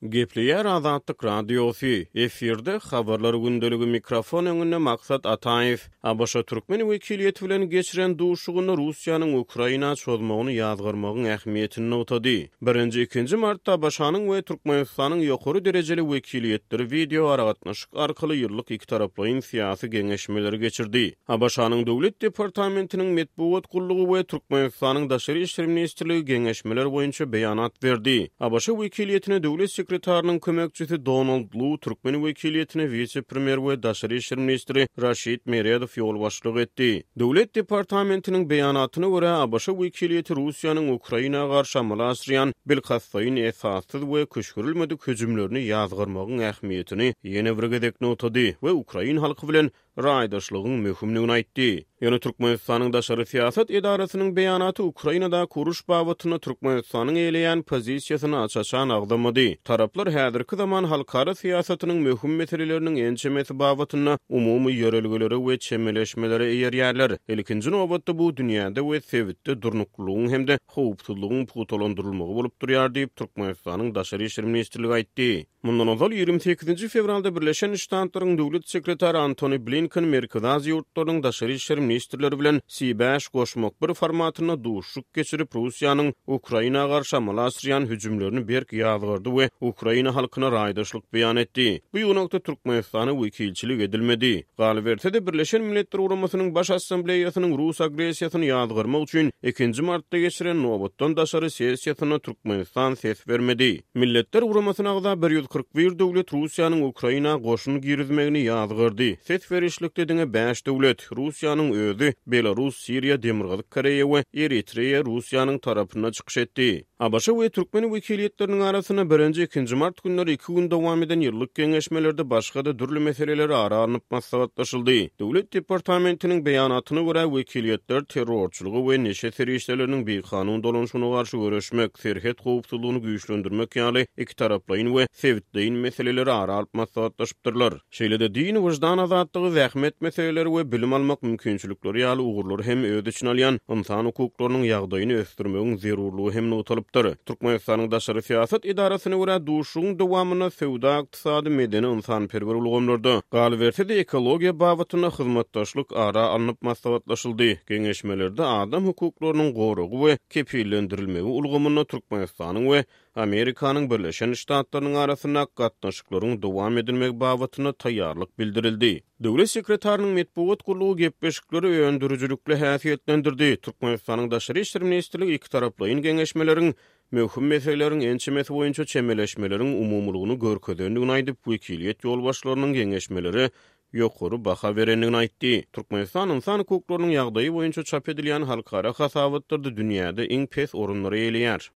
Gepleýär Azatlyk Radiosy, efirde Habarlar gündeligi mikrofon öňünde Maksat Ataýew. ABŞ türkmen wekiliýeti bilen geçiren duşuşygynda Russiýanyň Ukraina çozmagyny ýazgarmagyň ähmiýetini nygtady. Birinji, ikinji martda ABŞ-nyň we Türkmenistanyň ýokary derejeli wekiliýetleri wideoaragatnaşyk arkaly ýyllyk ikitaraplaýyn syýasy geňeşmeleri geçirdi. ABŞ-nyň Döwlet departamentiniň metbugat gullugy we Türkmenistanyň Daşary işler ministrligi geňeşmeler boýunça beýanat berdi. ABŞ wekiliýetine döwlet sekretarynyň kömekçisi Donald Lu, türkmen wekiliýetine wise-premýer we daşary işler ministri Raşid Meredow ýolbaşçylyk etdi. Döwlet departamentiniň beýanatyna görä, ABŞ wekiliýeti Russiýanyň Ukraina garşy amala aşyrýan bilkastlaýyn esassyz we küşgürilmedik hüjümlerini ýazgarmagyň ähmiýetini ýene bir gezek nygtady we ukrain halky bilen raýdaşlygyň möhümdigini aýtdy. Ýöne Türkmenistanyň daşary syýasat edarasynyň beýanaty Ukrainadaky uruş babatynda Türkmenistanyň eýeleýän pozisiýasyny aç-açan agzamady. Taraplar häzirki zaman halkara syýasatynyň möhüm meseleleriniň ençemesi babatynda umumy ýörelgelere we çemeleşmelere eýerýärler. Ilkinji nobatda bu dünýäde we sebitde durnuklylygyň hem-de howpsuzlygyň pugtalandyrylmagy bolup durýar diýip, Türkmenistanyň Daşary işler ministrligi aýtdy. Mundan ozal, 28 nji fewralda Birleşen Ştatlaryň Döwlet sekretary Antony Blinken Merkezi Aziýa ýurtlarynyň daşary işler ministrleri bilen C bäş goşmak bir formatynda duşuşyk geçirip, Russiýanyň Ukraina garşy amala aşyrýan hüjümlerini berk ýazgardy we ukraina halkyna raýdaşlyk beýan etdi. Bu ýygnakda Türkmenistana wekilçilik edilmedi. Galyberse-de, Birleşen Milletler Guramasynyň Baş Assambleýasynyň rus agressiýasyny ýazgarmak üçin ikinji martda geçiren nobatdan daşary sessiýasynda Türkmenistan ses bermedi. Milletler Guramasyna agza 141 döwlet Russiýanyň Ukraina goşun girizmegini ýazgardy. Ses berişlikde diňe bäş döwlet, Russiýanyň özi, Belarus, Siriýa, Demirgazyk Koreýa we Eritreýa Russiýanyň tarapynda çykyş etdi. ABŞ we türkmen wekiliýetleriniň arasynda birinji, ikinji mart günleri iki gün dowam eden ýyllyk geňeşmelerde başga-da dürli meseleler ara alnyp maslahatlaşyldy. Döwlet departamentiniň beýanatyna görä, wekiliýetler terrorçylyga we neşe serişdeleriniň bikanun dolanyşygyna garşy göreşmek, serhet howpsuzlygyny güýçlendirmek ýaly ikitaraplaýyn we sebitleýin meseleleri ara alyp maslahatlaşypdyrlar. Şeýle-de din, wyždan azatlygy, zähmet meseleleri we bilim almak mümkinçilikleri ýaly ugurlary hem öz içine alýan ynsan hukuklarynyň ýagdaýyny ösdürmegiň zerurlygy hem nygtalypdyr. Türkmenistanyň daşary syýasat edarasyna görä, duşuşygyň dowamynda söwda-ykdysady, medeni-ynsanperwer ulgamlarda, galyberse-de, ekologiýa babatynda hyzmatdaşlyk ara alnyp maslahatlaşyldy. Geňeşmelerde adam hukuklarynyň goragy we kepillendirilmegi ulgamynda Türkmenistanyň we Amerikanyň Birleşen Ştatlarynyň arasyndaky gatnaşyklaryň dowam edilmegi babatynda taýýarlyk bildirildi. Döwlet sekretarynyň metbugat gullugy gepleşikleri öndürijilikli häsiýetlendirdi. Türkmenistanyň Daşary işler ministrligi ikitaraplaýyn geňeşmeleriň möhüm meseleleriň ençemesi boýunça çemeleşmeleriň umumylygyny görkezendigini aýdyp, wekiliýet ýolbaşçylarynyň geňeşmelere ýokary baha berendigini aýtdy. Türkmenistan ynsan hukuklarynyň ýagdaýy boýunça çap edilýän halkara hasabatlarda dünýäde iň pes orunlary eýeleýär.